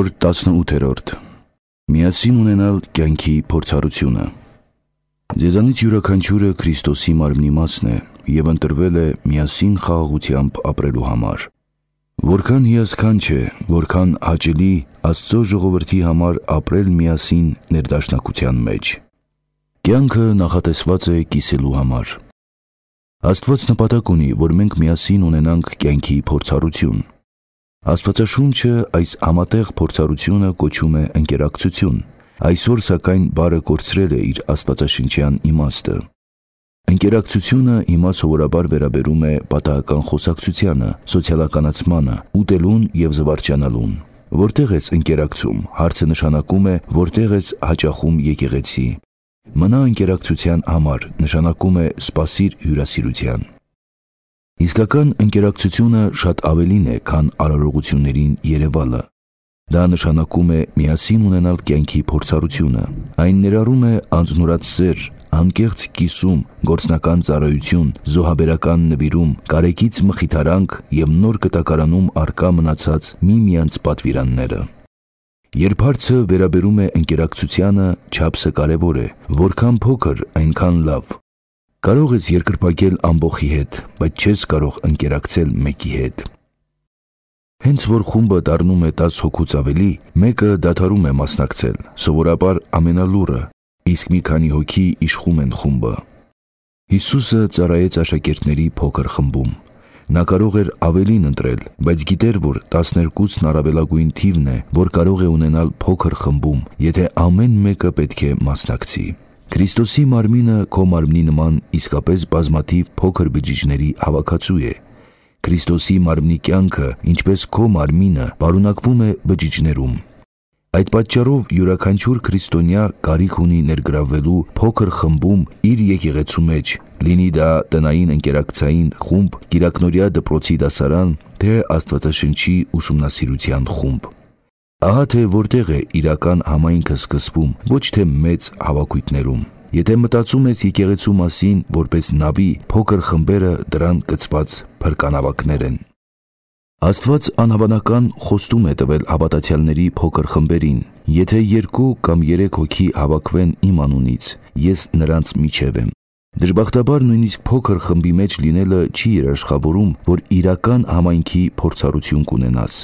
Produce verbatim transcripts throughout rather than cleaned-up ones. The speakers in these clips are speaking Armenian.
Նոր տասնութերորդ Միասին ունենալ կյանքի փորձառությունը։ Ձեզանից յուրաքանչյուրը Քրիստոսի մարմնի մասն է և ընտրվել է միասին խաղաղությամբ ապրելու համար։ Որքան հիասքանչ է, որքան հաճելի Աստծո ժողովրդի համար ապրել միասին ներդաշնակության մեջ։ Կյանքը նախատեսված է կիսելու համար։ Աստված նպատակ ունի, որ մենք միասին ունենանք կյանքի փորձառություն։ Աստվածաշունչը այս համատեղ փորձառությունը կոչում է ընկերակցություն, այսօր սակայն բառը կորցրել է իր աստվածաշնչյան իմաստը։ Ընկերակցությունը հիմա սովորաբար վերաբերում է պատահական խոսակցությանը, սոցիալականացմանը, ուտելուն և զվարճանալուն։ Որտեղ ես ընկերակցում, հարցը նշանակում է, որտեղ ես հաճախում եկեղեցի։ Մնա ընկերակցության համար նշանակում է սպասիր հյուրասիրության։ Իսկական ընկերակցությունը շատ ավելին է, քան արարողություններին երևալը։ Դա նշանակում է միասին ունենալ կյանքի փորձառությունը։ Այն ներառում է անձնուրաց սեր, անկեղծ կիսում, գործնական ծառայություն, զոհաբերական նվիրում, կարեկից մխիթարանք և նոր կտակարանում առկա մնացած միմյանց պատվիրանները։ Երբ հարցը վերաբերում է ընկերակցությանը, չափսը կարևոր է, որքան փոքր, այնքան լավ։ Կարող ես երկրպագել ամբոխի հետ, բայց չես կարող ընկերակցել մեկի հետ։ Հենց որ խումբը դառնում է տաս հոգուց ավելի, մեկը դադարում է մասնակցել, սովորաբար ամենալուռը, իսկ մի քանի հոգի իշխում են խումբը։ Հիսուսը ծառայեց աշակերտների փոքր խմբում։ Նա կարող էր ավելին ընտրել, բայց գիտեր, որ տասներկուսն առավելագույն թիվն է, որ կարող է ունենալ փոքր խմբում, եթե ամեն մեկը պետք է մասնակցի։ Քրիստոսի մարմինը քո մարմնի նման իսկապես բազմաթիվ փոքր բջիջների հավաքածու է։ Քրիստոսի մարմնի կյանքը, ինչպես քո մարմինը, պարունակվում է բջիջներում։ Այդ պատճառով յուրաքանչյուր քրիստոնյա կարիք ունի ներգրավվելու փոքր խմբում իր եկեղեցու մեջ, լինի դա տնային ընկերակցային խումբ, կիրակնօրյա դպրոցի դասարան, թե Աստվածաշնչի ուսումնասիրության խումբ։ Ահա թե որտեղ է իրական համայնքը սկսվում, ոչ թե մեծ հավաքույթներում։ Եթե մտածում ես եկեղեցու մասին որպես նավի, փոքր խմբերը դրան կցված փրկանավակներ են։ Աստված անհավանական խոստում է տվել հավատացյալների փոքր խմբերին. եթե երկու կամ երեք հոգի հավաքվեն իմ անունից, ես նրանց միջև եմ։ Դժբախտաբար նույնիսկ փոքր խմբի մեջ լինելը չի երաշխավորում, որ իրական համայնքի փորձառություն կունենաս։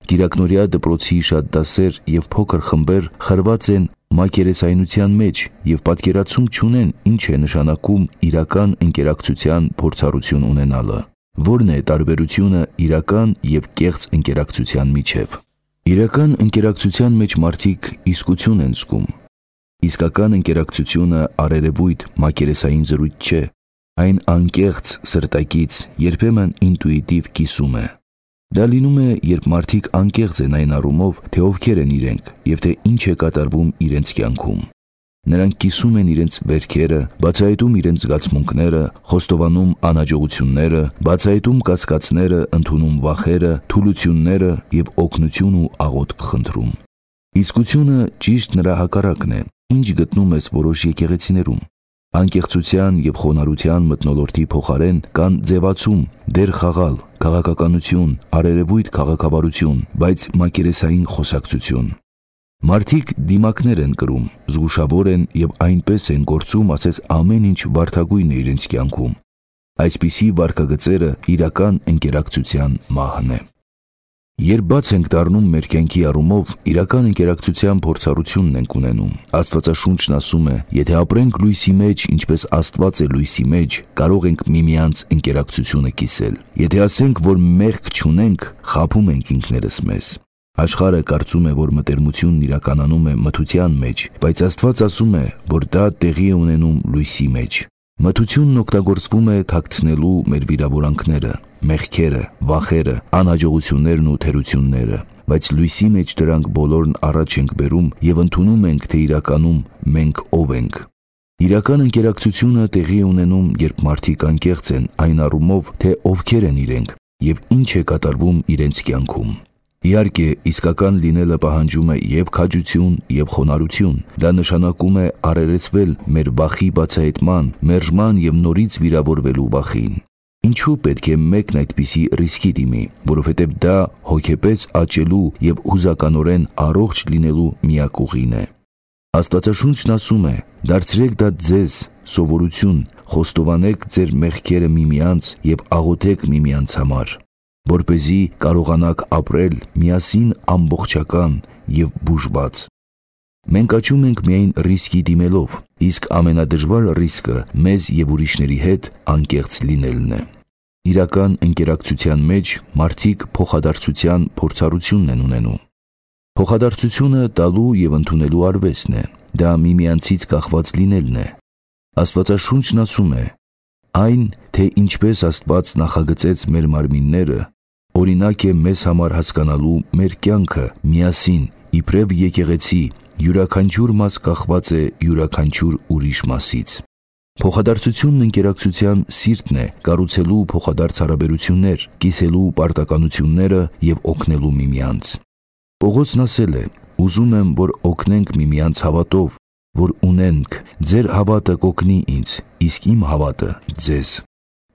Կիրակնօրյա դպրոցի շատ դասեր և փոքր խմբեր խրված են մակերեսայնության մեջ և պատկերացում չունեն ինչ է նշանակում իրական ընկերակցության փորձառություն ունենալը։ Որն է տարբերությունը իրական և կեղծ ընկերակցության միջև։ Իրական ընկերակցության մեջ մարդիկ իսկություն են զգում։ Իսկական ընկերակցությունը առերևույթ մակերեսային զրույց չէ։ Այն անկեղծ, սրտակից, երբեմն ինտուիտիվ կիսում է։ Դա լինում է, երբ մարդիկ անկեղծ են այն առումով, թե ովքեր են իրենք և թե ինչ է կատարվում իրենց կյանքում։ Նրանք կիսում են իրենց վերքերը, բացահայտում իրենց զգացմունքները, խոստովանում անհաջողությունները, բացահայտում կասկածները, ընդունում վախերը, թուլությունները և օգնություն ու աղոթք խնդրում։ Իսկությունը ճիշտ նրա հակառակն է, ինչ գտնում ես որոշ եկեղեցիներում։ Անկեղծության և խոնարհության մթնոլորտի փոխարեն կան ձևացում, դեր խաղալ, քաղաքականություն, առերևույթ քաղաքավարություն, բայց մակերեսային խոսակցություն։ Մարդիկ դիմակներ են կրում, զգուշավոր են և այնպես են գործում, ասես ամեն ինչ վարդագույն է իրենց կյանքում։ Այսպիսի վարքագծերը իրական ընկերակցության մահն է։ Երբ բաց ենք դառնում մեր կյանքի առումով, իրական ընկերակցության փորձառությունն ենք ունենում։ Աստվածաշունչն ասում է. եթե ապրենք լույսի մեջ, ինչպես Աստված է լույսի մեջ, կարող ենք միմյանց ընկերակցությունը կիսել։ Եթե ասենք, որ մեղք չունենք, խաբում ենք ինքներս մեզ։ Աշխարհը կարծում է, որ մտերմությունն իրականանում է մթության մեջ, բայց Աստված ասում է, որ դա տեղի է ունենում լույսի մեջ։ Մթությունն օգտագործվում է թաքցնելու մեր վիրավորանքները, մեղքերը, վախերը, անհաջողություններն ու թերությունները, բայց լույսի մեջ դրանք բոլորն առաջ ենք բերում և ընդունում ենք, թե իրականում մենք ով ենք։ Իրական ընկերակցությունը տեղի է ունենում, երբ մարդիկ անկեղծ են այն առումով, թե ովքեր են իրենք և ինչ է կատարվում իրենց կյանքում։ Իհարկե, իսկական լինելը պահանջում է և քաջություն, և խոնարհություն։ Դա նշանակում է առերեսվել մեր վախի բացահայտման, մերժման և նորից վիրավորվելու վախին։ Ինչու պետք է մեկն այդպիսի ռիսկի դիմի, որովհետև դա հոգեպես աճելու և հուզականորեն առողջ լինելու միակ ուղին է։ Աստվածաշունչն ասում է. «Դարձրեք դա ձեզ սովորություն, խոստովանեք ձեր մեղքերը միմյանց և աղոթեք միմյանց համար, որպեսզի կարողանաք ապրել միասին ամբողջական և բուժված»։ Մենք աճում ենք միայն ռիսկի դիմելով, իսկ ամենադժվար ռիսկը մեզ և ուրիշների հետ անկեղծ լինելն է։ Իրական ընկերակցության մեջ մարդիկ փոխադարձության փորձառությունն են ունենում։ Փոխադարձությունը տալու և ընդունելու արվեստն է, դա միմյանցից կախված լինելն է։ Աստվածաշունչն ասում է. «Այն, թե ինչպես Աստված նախագծեց մեր մարմինները, օրինակ է մեզ համար հասկանալու մեր կյանքը միասին, իբրև եկեղեցի, յուրաքանչյուր մաս կախված է յուրաքանչյուր ուրիշ մասից»։ Փոխադարձությունն ընկերակցության սիրտն է կառուցելու փոխադարձ հարաբերություններ, կիսելու պարտականությունները և օգնելու միմյանց։ Պողոսն ասել է. «Ուզում եմ, որ օգնենք միմյանց հավատով, որ ունենք, ձեր հավատը կօգնի ինձ, իսկ իմ հավատը՝ ձեզ»։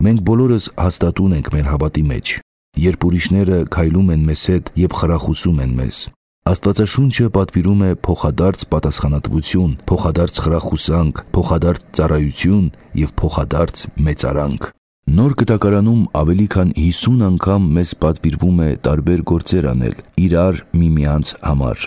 Մենք բոլորս հաստատուն ենք մեր հավատի մեջ, երբ ուրիշները քայլում են մեզ հետ և խրախուսում են մեզ։ Աստվածաշունչը պատվիրում է փոխադարձ պատասխանատվություն, փոխադարձ խրախուսանք, փոխադարձ ծառայություն և փոխադարձ մեծարանք։ Նոր Կտակարանում ավելի քան հիսուն անգամ մեզ պատվիրվում է տարբեր գործեր անել իրար միմյանց համար։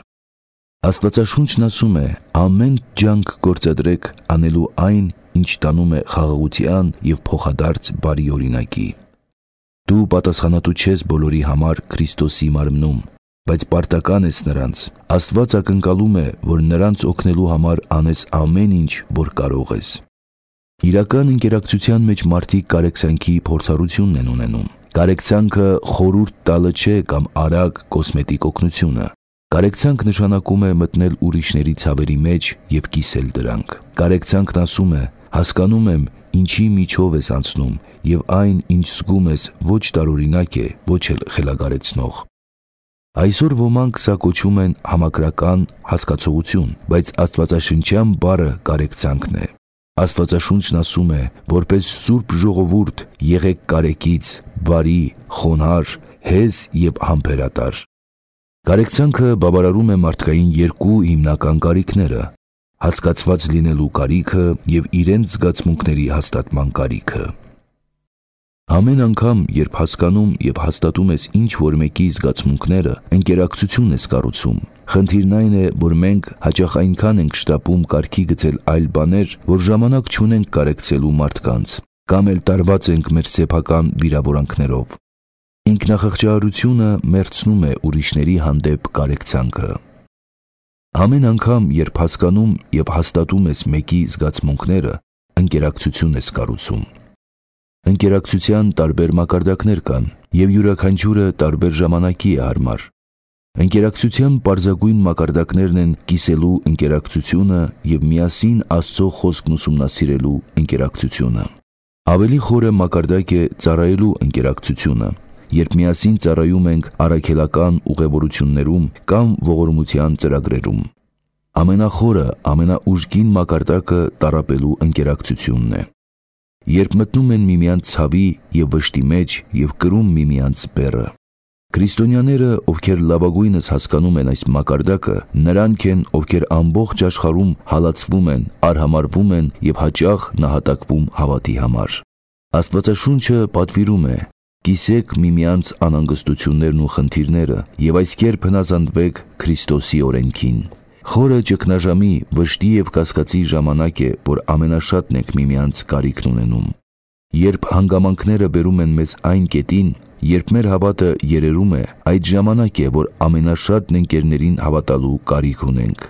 Աստվածաշունչն ասում է. «Ամեն ջանք գործադրեք անելու այն, ինչ տանում է խաղաղության և փոխադարձ բարի օրինակի»։ Դու պատասխանատու չես բոլորի համար Քրիստոսի մարմնում, բայց պարտական ես նրանց։ Աստված ակնկալում է, որ նրանց օգնելու համար անես ամեն ինչ, որ կարող ես։ Իրական ընկերակցության մեջ մարդիկ կարեկցանքի փորձառությունն են ունենում։ Կարեկցանքը խորհուրդ տալը չէ կամ արագ կոսմետիկ օգնությունը։ Կարեկցանք նշանակում է մտնել ուրիշների ցավերի մեջ և կիսել դրանք։ Կարեկցանքն ասում է. «Հասկանում եմ, ինչի միջով ես անցնում, և այն, ինչ զգում ես, ոչ տարօրինակ է, ոչ էլ խելագարեցնող»։ Այսօր ոմանք սա կոչում են համակրական հասկացողություն, բայց աստվածաշնչյան բառը կարեկցանքն է։ Աստվածաշունչն ասում է. «Որպես սուրբ ժողովուրդ եղեք կարեկից, բարի, խոնարհ, հեզ և համբերատար»։ Կարեկցանքը բավարարում է մարդկային երկու հիմնական կարիքները՝ հասկացված լինելու կարիքը և իրենց զգացմունքների հաստատման կարիքը։ Ամեն անգամ, երբ հասկանում և հաստատում ես ինչ-որ մեկի զգացմունքները, ընկերակցություն ես կառուցում։ Խնդիրն այն է, որ մենք հաճախ այնքան ենք շտապում կարգի գցել այլ բաներ, որ ժամանակ չունենք կարեկցելու մարդկանց, կամ էլ տարված ենք մեր սեփական վիրավորանքներով։ Ինքնախղճահարությունը մերցնում է ուրիշների հանդեպ կարեկցանքը։ Ամեն անգամ, երբ հասկանում և հաստատում ես մեկի զգացմունքները, ընկերակցություն ես կառուցում։ Ընկերակցության տարբեր մակարդակներ կան, և յուրաքանչյուրը տարբեր ժամանակի է հարմար։ Ընկերակցության պարզագույն մակարդակներն են կիսելու ընկերակցությունը և միասին Աստծո խոսքն ուսումնասիրելու ընկերակցությունը։ Ավելի խորը մակարդակ է ծառայելու ընկերակցությունը, երբ միասին ծառայում ենք առաքելական ուղևորություններում կամ ողորմության ծրագրերում։ Ամենախորը, ամենաուժգին մակարդակը տառապելու ընկերակցությունն է, երբ մտնում են միմյանց ցավի և վշտի մեջ և կրում միմյանց բեռը։ Քրիստոնյաները, ովքեր լավագույնս հասկանում են այս մակարդակը, նրանք են, ովքեր ամբողջ աշխարհում հալածվում են, արհամարհվում են և հաճախ նահատակվում հավատի համար։ Աստվածաշունչը պատվիրում է. «Կիսեք միմյանց անհանգստություններն ու խնդիրները և այս կերպ հնազանդվեք Քրիստոսի օրենքին»։ Խորը ճգնաժամի, վշտի և կասկածի ժամանակ է, որ ամենաշատն ենք միմյանց կարիքն ունենում։ Երբ հանգամանքները բերում են մեզ այն կետին, երբ մեր հավատը երերում է, այդ ժամանակ է, որ ամենաշատն ընկերներին հավատալու կարիք ունենք։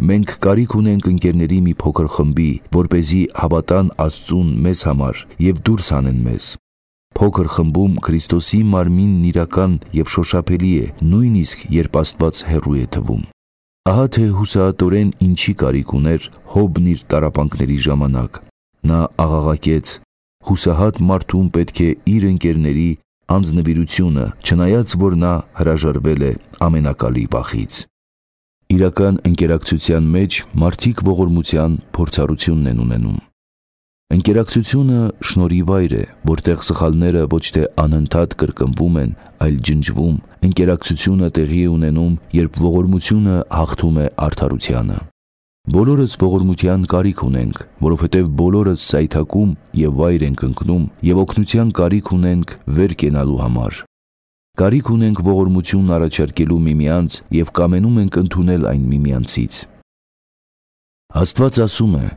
Մենք կարիք ունենք ընկերների մի փոքր խմբի, որպեսզի հավատան Աստծուն մեզ համար և դուրս հանեն մեզ։ Փոքր խմբում Քրիստոսի մարմինն իրական և շոշափելի է, նույնիսկ երբ Աստված հեռու է թվում։ Ահա թե հուսահատորեն ինչի կարիք ուներ Հոբն իր տառապանքների ժամանակ։ Նա աղաղակեց. հուսահատ մարդուն պետք է իր ընկերների անձնվիրությունը, չնայած որ նա հրաժարվել է ամենակալի վախից։ Իրական ընկերակցության մեջ մարդիկ ողորմության փորձառությունն են ունենում։ Ընկերակցությունը շնորհի վայր է, որտեղ սխալները ոչ թե անընդհատ կրկնվում են, այլ ջնջվում։ Ընկերակցությունը տեղի է ունենում, երբ ողորմությունը հաղթում է արդարությանը։ Բոլորս ողորմության կարիք ունենք, որովհետև բոլորս սայթակում և վայր ենք ընկնում և օգնության կարիք ունենք վեր կենալու համար։ Կարիք ունենք ողորմություն առաջարկելու միմյանց և կամենում ենք ընդունել այն միմյանցից։ Աստված ասում է.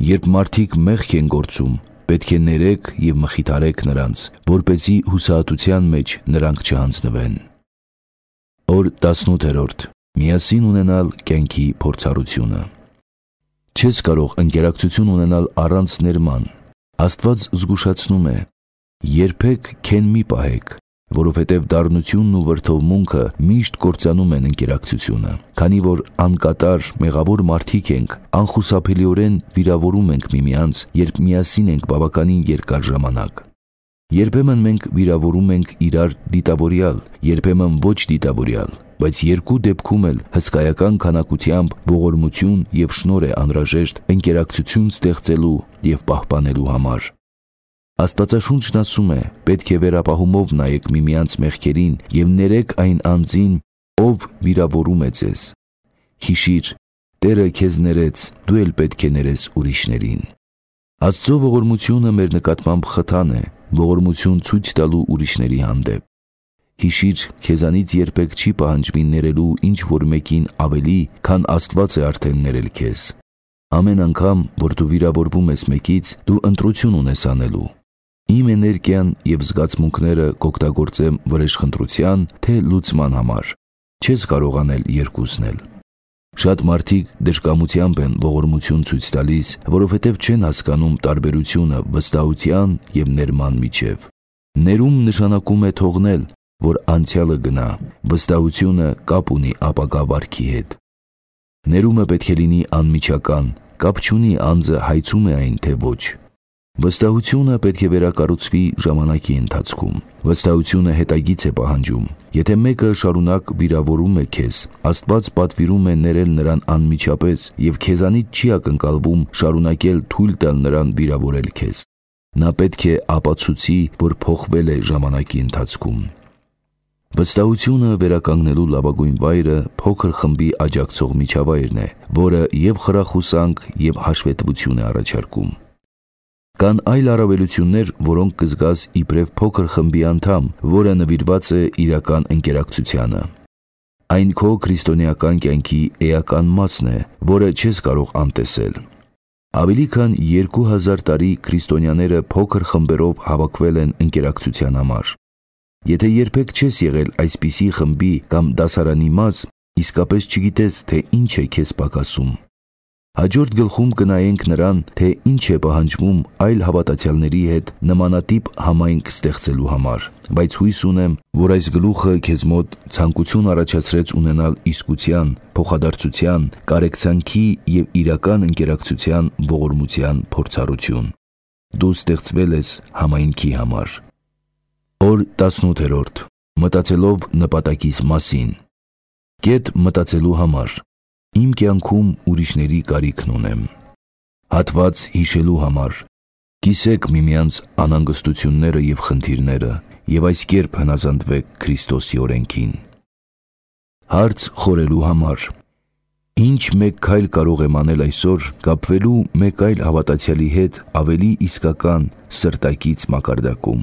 «Երբ մարդիկ մեղք են գործում, պետք է ներեք և մխիթարեք նրանց, որպեսզի հուսահատության մեջ նրանք չհանձնվեն»։ Օր տասնութերորդ. Միասին ունենալ կյանքի փորձառությունը։ Չես կարող ընկերակցություն ունենալ առանց ներման։ Աստված զգուշացնում է. «Երբեք քեն մի պահեք, որովհետև դառնությունն ու վրդովմունքը միշտ կործանում են ընկերակցությունը, քանի որ անկատար, մեղավոր մարդիկ ենք, անխուսափելիորեն վիրավորում ենք միմյանց, երբ միասին ենք բավականին երկար ժամանակ։ Երբեմն մենք վիրավորում ենք իրար դիտավորյալ, երբեմն ոչ դիտավորյալ, բայց երկու դեպքում էլ հսկայական քանակությամբ ողորմություն և շնորհ է անհրաժեշտ ընկերակցություն ստեղծելու և պահպանելու համար։ Աստվածաշունչն ասում է. «Պետք է վերապահումով նայեք միմյանց մեղքերին և ներեք այն անձին, ով վիրավորում է ձեզ։ Հիշիր, Տերը քեզ ներեց, դու էլ պետք է ներես ուրիշներին»։ Աստծո ողորմությունը մեր նկատմամբ խթան է, ողորմություն ցույց տալու ուրիշների հանդեպ։ Հիշիր, քեզանից երբեք չի պահանջվի ներելու ինչ-որ մեկին ավելի, քան Աստված է արդեն ներել քեզ։ Ամեն անգամ, որ դու վիրավորվում ես մեկից, դու ընտրություն ունես անելու։ Իմ էներգիան և զգացմունքները կօգտագործեմ վրեժխնդրության, թե լուծման համար։ Չես կարող անել երկուսն էլ։ Շատ մարդիկ դժկամությամբ են ողորմություն ցույց տալիս, որովհետև չեն հասկանում տարբերությունը վստահության և ներման միջև։ Ներում նշանակում է թողնել, որ անցյալը գնա, վստահությունը կապ ունի ապագա վարքի հետ։ Ներումը պետք է լինի անմիջական, կապ չունի անձը հայցում է այն, թե ոչ։ Վստահությունը պետք է վերակառուցվի ժամանակի ընթացքում։ Վստահությունը հետագիծ է պահանջում։ Եթե մեկը շարունակ վիրավորում է քեզ, Աստված պատվիրում է ներել նրան անմիջապես և քեզանից չի ակնկալվում շարունակել թույլ տալ նրան վիրավորել քեզ։ Նա պետք է ապացուցի, որ փոխվել է ժամանակի ընթացքում։ Վստահությունը վերականգնելու լավագույն վայրը փոքր խմբի աջակցող միջավայրն է, որը և խրախուսանք, և հաշվետվություն է առաջարկում։ Կան այլ առավելություններ, որոնք կզգաս իբրև փոքր խմբի անդամ, որը նվիրված է իրական ընկերակցությանը։ Այն քո քրիստոնեական կյանքի էական մասն է, որը չես կարող անտեսել։ Ավելի քան երկու հազար տարի քրիստոնյաները փոքր խմբերով հավաքվել են ընկերակցության համար։ Եթե երբեք չես եղել այսպիսի խմբի կամ դասարանի մաս, իսկապես չգիտես, թե ինչ է քեզ պակասում։ Հաջորդ գլխում կնայենք նրան, թե ինչ է պահանջվում այլ հավատացյալների հետ նմանատիպ համայնք ստեղծելու համար, բայց հույս ունեմ, որ այս գլուխը քեզ մոտ ցանկություն առաջացրեց ունենալ իսկության, փոխադարձության, կարեկցանքի և իրական ընկերակցության ողորմության փորձառություն։ Դու ստեղծվել ես համայնքի համար։ Օր տասնութերորդ. Մտածելով նպատակիս մասին։ Կետ մտածելու համար։ Իմ կյանքում ուրիշների կարիքն ունեմ։ Հատված հիշելու համար։ Կիսեք միմյանց անհանգստությունները և խնդիրները և այս կերպ հնազանդվեք Քրիստոսի օրենքին։ Հարց խորելու համար։ Ինչ մեկ քայլ կարող եմ անել այսօր կապվելու մեկ այլ հավատացյալի հետ ավելի իսկական սրտակից մակարդակում։